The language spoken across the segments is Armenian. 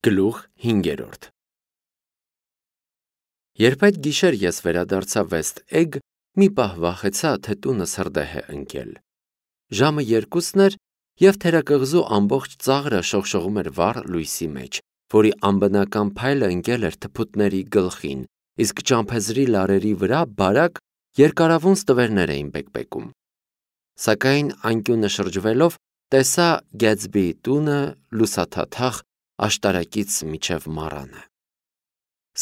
Գլուխ 5 Երբ այդ գիշեր ես վերադարձա Վեստ Էգ, մի պահ վախեցա, թե տունս հրդեհ է ընկել։ Ժամը 2-ն էր, և թերակղզու ամբողջ ծաղրը շողշողում էր վառ լույսի մեջ, որի անբնական փայլը ընկել էր թփուտների գլխին, իսկ ճամփեզրի լարերի վրա բարակ երկարավուն ստվերներ էին բեկբեկում։ Սակայն անկյունը շրջվելով, տեսա Գեթսբիի տունը լուսաթաթախ աշտարակից մինչև մառանը։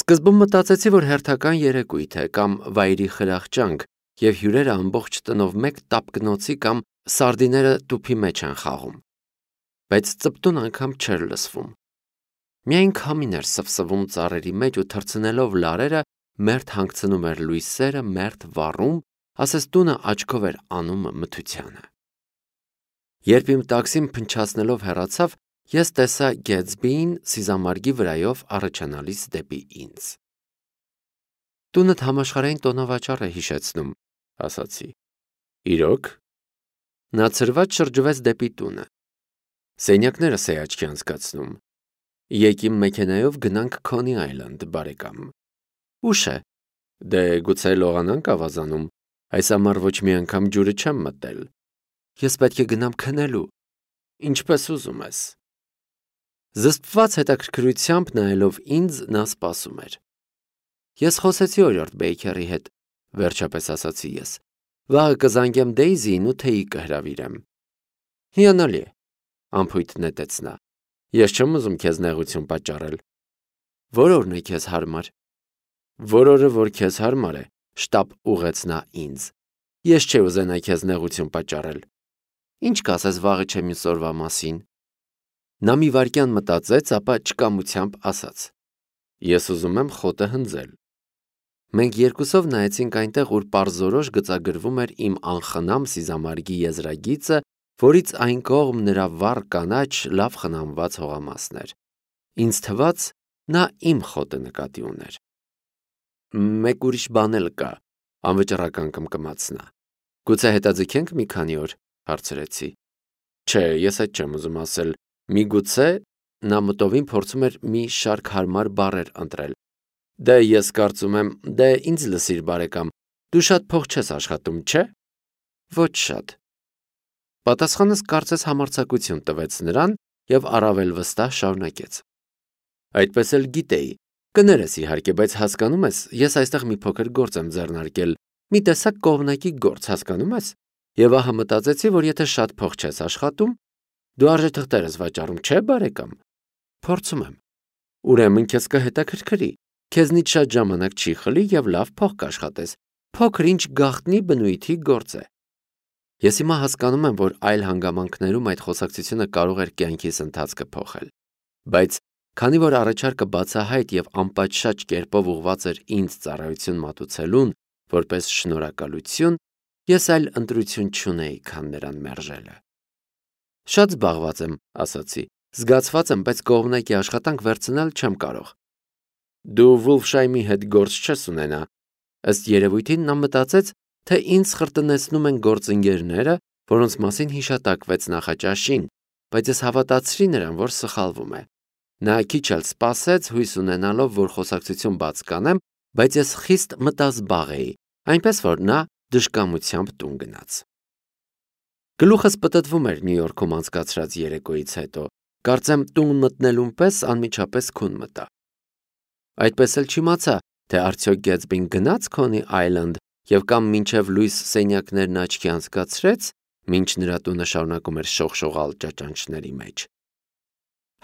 Սկզբում մտածեցի, որ հերթական երեկույթ է կամ վայրի խրախճանք, և հյուրերը ամբողջ տնով մեկ տապկնոցի կամ սարդիները տուփի մեջ են խաղում։ Բայց ծպտուն անգամ չէր լսվում։ Միայն քամին էր սվսվում ծառերի մեջ ու թռցնելով լարերը, մերթ հանգցնում էր լույսերը, մերթ վառում, ասես տունը աչքով էր անում մթությանը։ Երբ իմ տաքսին փնչացնելով հեռացավ, ես տեսա Գեթսբիին սիզամարգի վրայով առաջանալիս դեպի ինձ։ Տունդ համաշխարհային տոնավաճառ է հիշեցնում, ասացի։ Իրոք։ Նա ցրված շրջվեց դեպի տունը։ Սենյակները սեյաչքի անցկացնում։ Եկ իմ մեքենայով գնանք Քոնի Այլանդ, բարեկամ։ Ուշ է։ Դե գուցե լողանանք ավազանում։ Այս ամառ ոչ մի անգամ ջուրը չեմ մտել։ Ես պետք է գնամ քնելու։ Ինչպես ուզում ես։ Զսպված հետաքրքրությամբ նայելով ինձ, նա սպասում էր։ Ես խոսեցի օրիորդ Բեյքերի հետ, վերջապես ասացի ես։ Վաղը կզանգեմ Դեյզիին ու թեյի կհրավիրեմ։ Հիանալի է, անփույթ նետեց նա։ Ես չեմ ուզում քեզ նեղություն պատճառել։ Որ օրն է քեզ հարմար։ Որ օրը, որ քեզ հարմար է, շտապ ուղեց նա ինձ։ Ես չէ ուզենա քեզ նեղություն պատճառել։ Ինչ կասես վաղը չեմ մյուս օրվա մասին։ Նա մի վայրկյան մտածեց, ապա չկամությամբ ասաց. Ես ուզում եմ խոտը հնձել։ Մենք երկուսով նայեցինք այնտեղ, ուր պարզորոշ գծագրվում էր իմ անխնամ սիզամարգի եզրագիծը, որից այն կողմ նրա վառ կանաչ, լավ խնամված հողամասն էր։ Ինձ թվաց, նա իմ խոտը նկատի ուներ։ Մեկ ուրիշ բան էլ կա, անվճռական կմկմաց նա։ Գուցե հետաձգենք մի քանի օր, հարցրեցի։ Չէ, ես այդ չեմ ուզում ասել։ Միգուցե նա մտովին փորձում էր մի շարք հարմար բառեր ընտրել։ Դե ես կարծում եմ, դե ինձ լսիր բարեկամ, դու շատ փող չես աշխատում, չէ՞։ Ոչ շատ։ Պատասխանս կարծես համարձակություն տվեց նրան և առավել վստահ շարունակեց։ Այդպես էլ գիտեի։ Կներես իհարկե, բայց հասկանում ես, ես այստեղ մի փոքր գործ եմ ձեռնարկել, մի տեսակ կողմնակի գործ, հասկանում ես։ Եվ ահա մտածեցի, որ եթե շատ փող չես աշխատում, դու արժեթղթեր ես վաճառում, չէ՞ բարեկամ։ Փորձում եմ։ Ուրեմն քեզ կհետաքրքրի։ Քեզնից շատ ժամանակ չի խլի և լավ փող կաշխատես։ Փոքր-ինչ գաղտնի բնույթի գործ է։ Ես հիմա հասկանում եմ, որ այլ հանգամանքներում այդ խոսակցությունը կարող էր կյանքիս ընթացքը փոխել։ Բայց քանի որ առաջարկը բացահայտ և անպատշաճ կերպով ուղղված էր ինձ ծառայություն մատուցելուն, որպես շնորհակալություն, ես այլ ընտրություն չունեի, քան նրան մերժելը։ Շատ զբաղված եմ, ասացի, զգացված եմ, բայց կողմնակի աշխատանք վերցնել չեմ կարող։ Դու Վուլֆշայմի հետ գործ չես ունենա։ Ըստ երևույթին նա մտածեց, թե ինձ խրտնեցնում են գործընկերները, որոնց մասին հիշատակվեց նախաճաշին, բայց ես հավատացրի նրան, որ սխալվում է։ Նա քիչ էլ սպասեց, հույս ունենալով, որ խոսակցություն բաց կանեմ, բայց ես խիստ մտազբաղ էի, այնպես որ նա դժկամությամբ տուն գնաց։ Գլուխս պտտվում էր Նյու Յորքում անցկացրած երեկոյից հետո, կարծեմ տուն մտնելուն պես անմիջապես քուն մտա։ Այդպես էլ չիմացա, թե արդյոք Գեթսբին գնաց Քոնի Այլանդ և կամ մինչև լույս սենյակներն աչքի անցկացրեց, մինչ նրա տունը շարունակում էր շողշողալ ճաճանճների մեջ։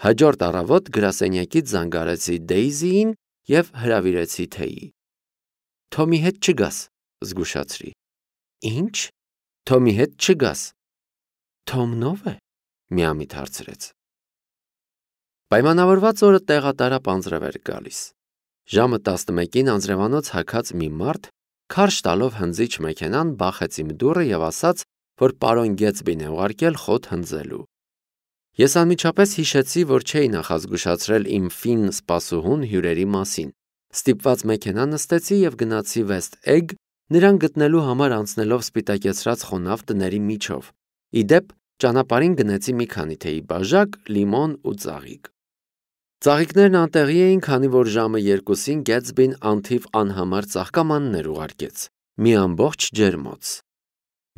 Հաջորդ առավոտ գրասենյակից զանգարեցի Դեյզիին և հրավիրեցի թեյի։ Թոմի հետ չգաս, զգուշացրի։ Ինչ։ Թոմի հետ չգաս։ Թոմն ո՞վ է, միամիտ հարցրեց։ Պայմանավորված օրը տեղատարապ անձրև էր գալիս։ Ժամը 11-ին անձրևանոց հագած մի մարդ քարշ տալով հնձիչ մեքենան բախեց իմ դուռը և ասաց, որ պարոն Գեթսբին է ուղարկել խոտ հնձելու։ Ես անմիջապես հիշեցի, որ չէի նախազգուշացրել իմ ֆին սպասուհուն հյուրերի մասին։ Ստիպված մեքենա նստեցի և գնացի Վեստ Էգ, նրան գտնելու համար անցնելով սպիտակեցրած խոնավ տների միջով։ Ի դեպ, ճանապարհին գնեցի մի քանի թեյի բաժակ, լիմոն ու ծաղիկ։ Ծաղիկներն անտեղի էին, քանի որ ժամը 2-ին Գեթսբին անթիվ անհամար ծաղկամաններ ուղարկեց, մի ամբողջ ջերմոց։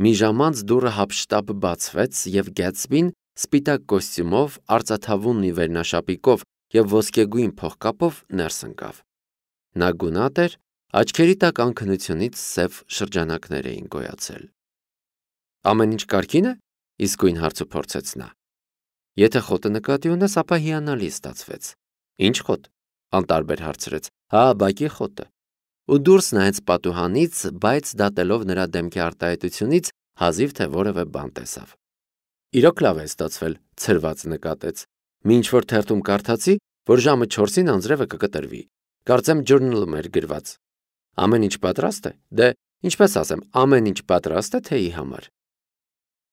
Մի ժամ անց դուռը հափշտապ բացվեց, եւ Գեթսբին սպիտակ կոստյումով, արծաթավուն մի վերնաշապիկով եւ ոսկեգույն փողկապով ներս ընկավ։ Նա գունատ էր, աչքերի տակ անքնությունից սև շրջանակներ էին գոյացել։ Ամեն ինչ կարգին է, իսկույն հարցը փորձեց նա։ Եթե խոտը նկատի ունես, ապա հիանալի ստացվեց։ Ինչ խոտ, անտարբեր հարցրեց։ Հա, բակի խոտը։ Ու դուրս նայեց պատուհանից, բայց դատելով նրա դեմքի արտահայտությունից, հազիվ թե որևէ բան տեսավ։ Իրոք լավ է ստացվել, ցրված նկատեց։ Մի ինչ-որ թերթում կարդացի, որ ժամը 4-ին անձրևը կկտրվի։ Կարծեմ ջուրնալում էր գրված։ Ամեն ինչ պատրաստ է։ Դե, ինչպես ասեմ, ամեն ինչ պատրաստ է թեյի համար։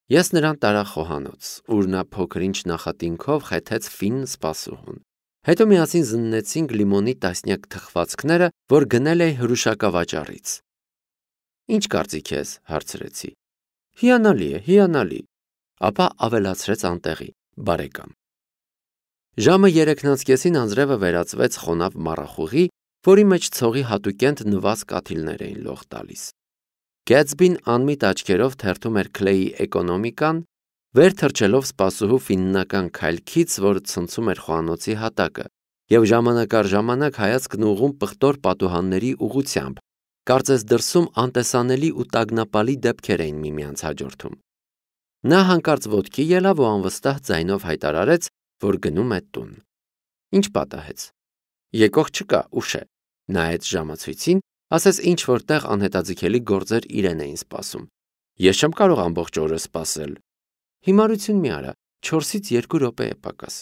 Ես նրան տարա խոհանոց, ուր նա փոքր-ինչ նախատինքով խեթեց ֆին սպասուհուն։ Հետո միասին զննեցինք լիմոնի տասնյակ թխվածքները, որ գնել էի հրուշակավաճառից։ Ինչ կարծիք ես, հարցրեցի։ Հիանալի է, հիանալի։ Ապա ավելացրեց անտեղի, բարեկամ։ Ժամը 3:30-ին անձրևը վերածվեց խոնավ մառախուղի, որի մեջ ցողի հատուկենտ նված կաթիլներ էին լող տալիս։ Գեթսբին անմիտ աչքերով թերթում էր Քլեյի էկոնոմիկան, վեր թռչելով սպասուհու ֆիննական քայլքից, որ ցնցում էր խոհանոցի հատակը, եւ ժամանակ առ ժամանակ հայացքն ուղղում պղտոր պատուհանների ուղղությամբ, կարծես դրսում անտեսանելի ու տագնապալի դեպքեր էին միմյանց հաջորդում։ Նա հանկարծ ոտքի ելավ ու անվստահ ձայնով հայտարարեց, որ գնում է տուն։ Ինչ պատահեց։ Եկող չկա, ուշ է։ Նայեց ժամացույցին, ասես ինչ որտեղ անհետաձգելի գործեր իրեն էին սպասում։ Ես չեմ կարող ամբողջ օրը սպասել։ Հիմարություն մի արա, 4-ից 2 րոպե է պակաս։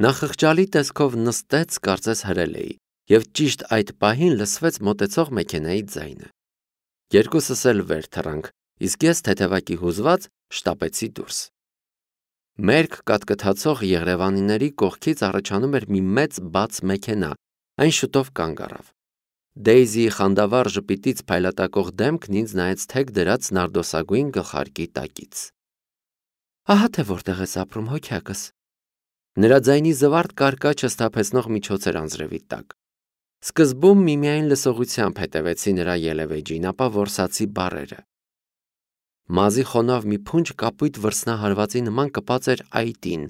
Նա խղճալի տեսքով նստեց, կարծես հրել էի, եւ ճիշտ այդ պահին լսվեց մոտեցող մեքենայի ձայնը։ Երկուսս էլ վեր թռանք, իսկ ես թեթևակի հուզված շտապեցի դուրս։ Մերկ կատկթացող եղրևանիների կողքից առաջանում էր մի մեծ բաց մեքենա, այն շուտով կանգ առավ։ Դեյզիի խանդավառ ժպիտից փայլատակող դեմքն ինձ նայեց թեք դրած նարդոսագույն գլխարկի տակից։ Ահա թե որտեղ ես ապրում, հոգյակս։ Նրա ձայնի զվարթ կարկաչը սթափեցնող միջոց էր անձրևի տակ։ Սկզբում միմիայն լսողությամբ հետևեցի նրա ելևեջին, ապա որսացի բառերը։ Մազի խոնավ մի փունջ կապույտ վրձնահարվածի նման կպած էր այտին,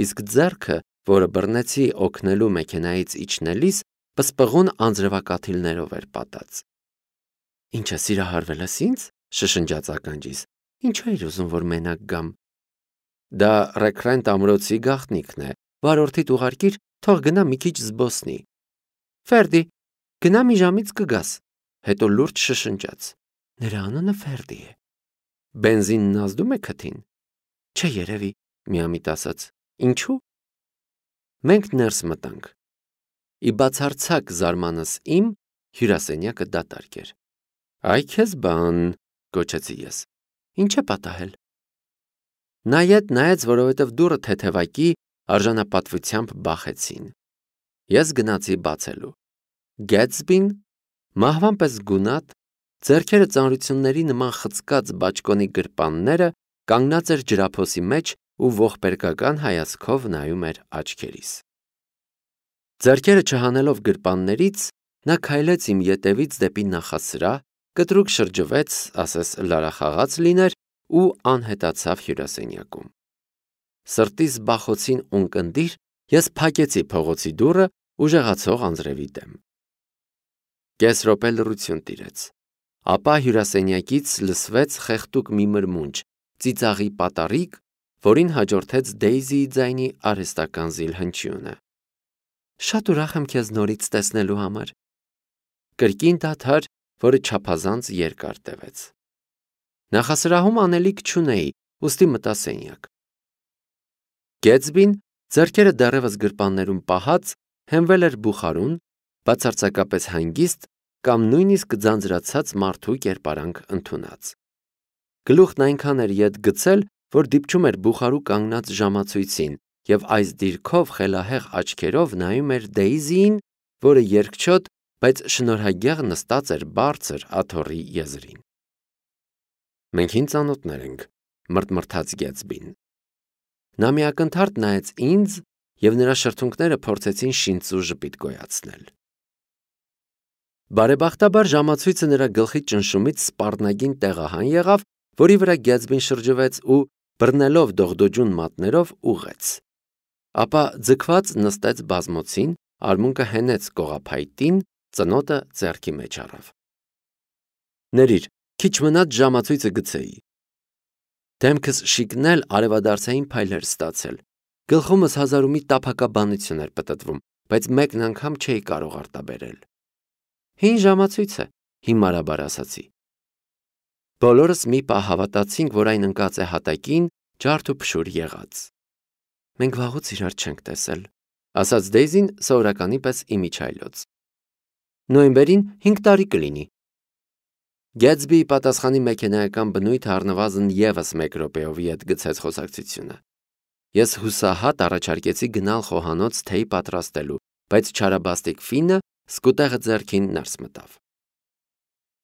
իսկ ձեռքը, որը բռնեցի օգնելու մեքենայից իջնելիս, պսպղուն անձրևակաթիլներով էր պատած։ Ինչը սիրահարվել ես ինձ, շշնջաց ականջիս, ինչու էր ուզում, որ մենակ գամ։ Դա Ռեքրենտ ամրոցի գաղտնիքն է, վարորդիդ ուղարկիր, թող գնա մի քիչ զբոսնի։ Ֆերդի, գնա մի ժամից կգաս, հետո լուրջ շշնջաց։ Նրա անունը Ֆերդի է։ Բենզինն ազդում է քթին։ Չէ, երևի, միամիտ ասաց։ Ինչու։ Մենք ներս մտանք։ Ի բացարձակ զարմանս իմ հյուրասենյակը դատարկ էր։ Այ քեզ բան, գոչեցի ես։ Ինչ է պատահել։ Նայեց, որովհետև դուռը թեթևակի արժանապատվությամբ բախեցին։ Ես գնացի բացելու։ Գեթսբին, մահվան պես գունատ, ձեռքերը ծանրությունների նման խցկած բաճկոնի գրպանները, կանգնած էր ջրափոսի մեջ ու ողբերգական հայացքով նայում էր աչքերիս։ Ձեռքերը չհանելով գրպաններից, նա քայլեց իմ ետևից դեպի նախասրահ, կտրուկ շրջվեց, ասես լարախաղաց լիներ ու անհետացավ հյուրասենյակում։ Սրտիս բախոցին ունկնդիր ես փակեցի փողոցի դուռը ուժեղացող անձրևի դեմ։ Կես րոպե լռություն տիրեց, ապա հյուրասենյակից լսվեց խեղդուկ մի մրմունջ, ծիծաղի պատառիկ, որին հաջորդեց Դեյզիի ձայնի արհեստական զիլհնչյունը։ Շատ ուրախ եմ քեզ նորից տեսնելու համար։ Կրկին դադար, որը չափազանց երկար տևեց։ Նախասրահում անելիք չունեի, ուստի մտա սենյակ։ Գեթսբին, ձեռքերը դեռևս գրպաններում պահած, հենվել էր բուխարուն, բացարձակապես հանգիստ կամ նույնիսկ ձանձրացած մարդու կերպարանք ընդունած։ Գլուխն այնքան էր ետ գցել, որ դիպչում էր բուխարու կանգնած ժամացույցին և այս դիրքով խելահեղ աչքերով նայում էր Դեյզիին, որը երկչոտ, բայց շնորհագեղ նստած էր բարձր աթոռի եզրին։ Մենք հին ծանոթներ ենք, մրթմրթաց Գեթսբին։ Նա մի ակնթարթ նայեց ինձ և նրա շրթունքները փորձեցին շինծու ժպիտ գոյացնել։ Բարեբախտաբար ժամացույցը նրա գլխի ճնշումից սպառնագին տեղահան եղավ, որի վրա Գեթսբին շրջվեց ու բռնելով դողդոջուն մատներով ուղղեց։ Ապա ձգված նստեց բազմոցին, արմունկը հենեց կողափայտին, ծնոտը ձեռքի մեջ առավ։ Ներիր, քիչ մնաց ժամացույցը գցեի։ Դեմքս շիկնել արևադարձային փայլեր ստացել։ Գլխումս հազար ու մի տափակաբանություն էր պտտվում, բայց մեկն անգամ չէի կարող արտաբերել։ Հին ժամացույց է, հիմարաբար ասացի։ Բոլորս մի պահ հավատացինք, որ այն ընկած է հատակին, ջարդ ու փշուր եղած։ Մենք վաղուց իրար չենք տեսել, ասաց Դեյզին սովորականի պես իմիջայլոց։ Նոյեմբերին 5 տարի կլինի։ Գեթսբիի պատասխանի մեքենայական բնույթը առնվազն ևս 1 րոպեով ետ գցեց խոսակցությունը։ Ես հուսահատ առաջարկեցի գնալ խոհանոց թեյ պատրաստելու, բայց չարաբաստիկ Ֆինը սկուտեղը ձեռքին ներս մտավ։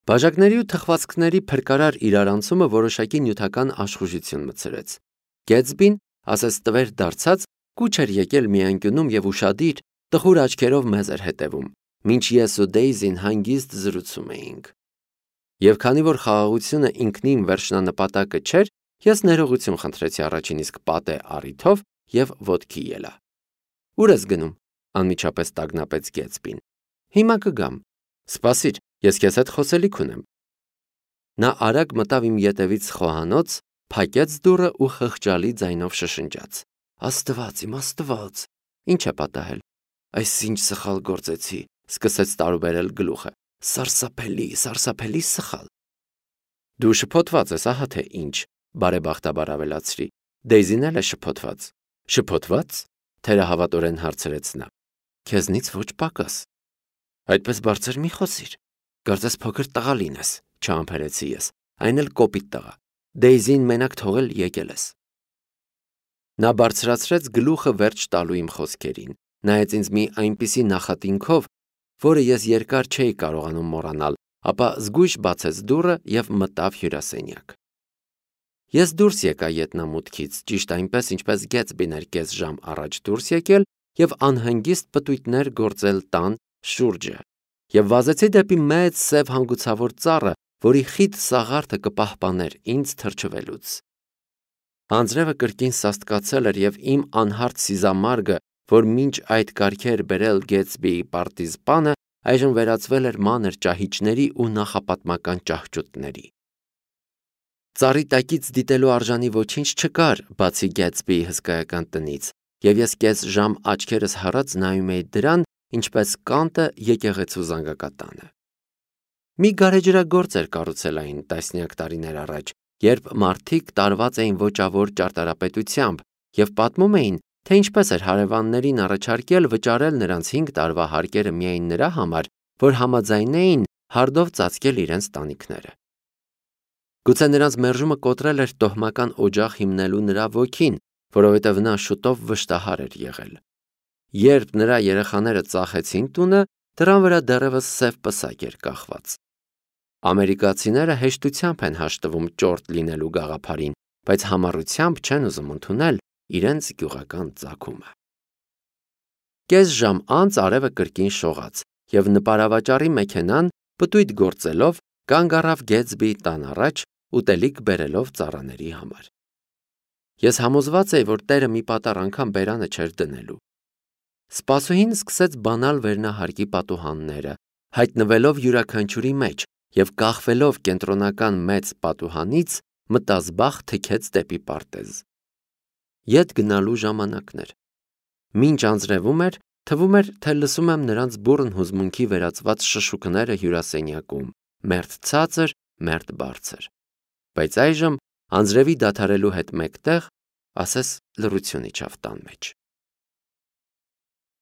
Բաժակների ու թխվածքների փրկարար իրարանցումը որոշակի նյութական աշխուժություն մտցրեց։ Գեթսբին, ասես տվեր դարձած, կուչ էր եկել մի անկյունում և ուշադիր, տխուր աչքերով մեզ էր հետևում, մինչ ես ու Դեյզին հանգիստ զրուցում էինք։ Եվ քանի որ խաղաղությունը ինքնին վերջնանպատակը չէր, ես ներողություն խնդրեցի առաջին իսկ պատե առիթով և ոտքի ելա։ Ուր ես գնում, անմիջապես տագնապեց Գեթսբին։ Հիմա կգամ։ Սպասիր, ես քեզ հետ խոսելիք ունեմ։ Նա արագ մտավ իմ ետևից խոհանոց, փակեց դուռը ու խղճալի ձայնով շշնջաց. Աստված, իմ Աստված, ինչ է պատահել։ Այս ինչ սխալ գործեցի, սկսեց տարուբերել գլուխը։ Սարսափելի սխալ։ Դու շփոթված ես, ահա թե ինչ, բարեբախտաբար ավելացրի։ Դեյզին էլ է շփոթված։ Շփոթված? Թերահավատորեն հարցրեց նա։ Քեզնից ոչ պակաս։ Այդպես բարձր մի խոսիր։ Կարծես փոքր տղա լինես, չհամբերեցի ես, այն էլ կոպիտ տղա։ Դեյզին մենակ թողել եկել ես։ Նա բարձրացրեց գլուխը վերջ տալու իմ խոսքերին, նայեց ինձ մի այնպիսի նախատինքով, որը ես երկար չէի կարողանում մոռանալ, ապա զգույշ բացեց դուռը և մտավ հյուրասենյակ։ Ես դուրս եկա ետնամուտքից, ճիշտ այնպես, ինչպես Գեթսբին էր կես ժամ առաջ դուրս եկել և անհանգիստ պտույտներ գործել տան շուրջը, և վազեցի դեպի մեծ սև հանգուցավոր ծառը, որի խիտ սաղարթը կպահպաներ ինձ թրջվելուց։ Անձրևը կրկին սաստկացել էր և իմ անհարթ սիզամարգը, որ մինչ այդ կարգի էր բերել Գեթսբիի պարտիզպանը, այժմ վերածվել էր մանր ճահիճների ու նախապատմական ճահճուտների։ Ծառի տակից դիտելու արժանի ոչինչ չկար, բացի Գեթսբիի հսկայական տնից, և ես կես ժամ աչքերս հառած նայում էի դրան, ինչպես կանտը եկեղեցու զանգակատանը։ Մի գարեջրագործ էր կառուցել այն տասնյակ տարիներ առաջ, երբ մարդիկ տարված էին ոճավոր ճարտարապետությամբ և պատմում էին, թե ինչպես էր հարևաններին առաջարկել վճարել նրանց 5 տարվա հարկերը միայն նրա համար, որ համաձայնեին հարդով ծածկել իրենց տանիքները։ Գուցե նրանց մերժումը կոտրել էր տոհմական օջախ հիմնելու նրա ոգին, որովհետև նա շուտով վշտահար էր եղել։ Երբ նրա երեխաները ծախեցին տունը, դռան վրա դեռևս սև պսակ էր կախված։ Ամերիկացիները հեշտությամբ են հաշտվում ճորտ լինելու գաղափարին, բայց համառությամբ չեն ուզում ընդունել իրենց գյուղական ծագումը։ Կես ժամ անց արևը կրկին շողաց, և նպարավաճառի մեքենան, պտույտ գործելով, կանգ առավ Գեթսբիի տան առաջ, ուտելիք բերելով ծառաների համար։ Ես համոզված էի, որ տերը մի պատառ անգամ բերանը չէր դնելու։ Սպասուհին սկսեց բանալ վերնահարկի պատուհանները, հայտնվելով յուրաքանչյուրի մեջ և կախվելով կենտրոնական մեծ պատուհանից, մտազբաղ թքեց դեպի պարտեզ։ Ետ գնալու ժամանակն էր։ Մինչ անձրևում էր, թվում էր, թե լսում եմ նրանց բուռն հուզմունքի վերածված շշուկները հյուրասենյակում, մերթ ցածր, մերթ բարձր։ Բայց այժմ, անձրևի դադարելու հետ մեկտեղ, ասես լռություն իջավ տան մեջ։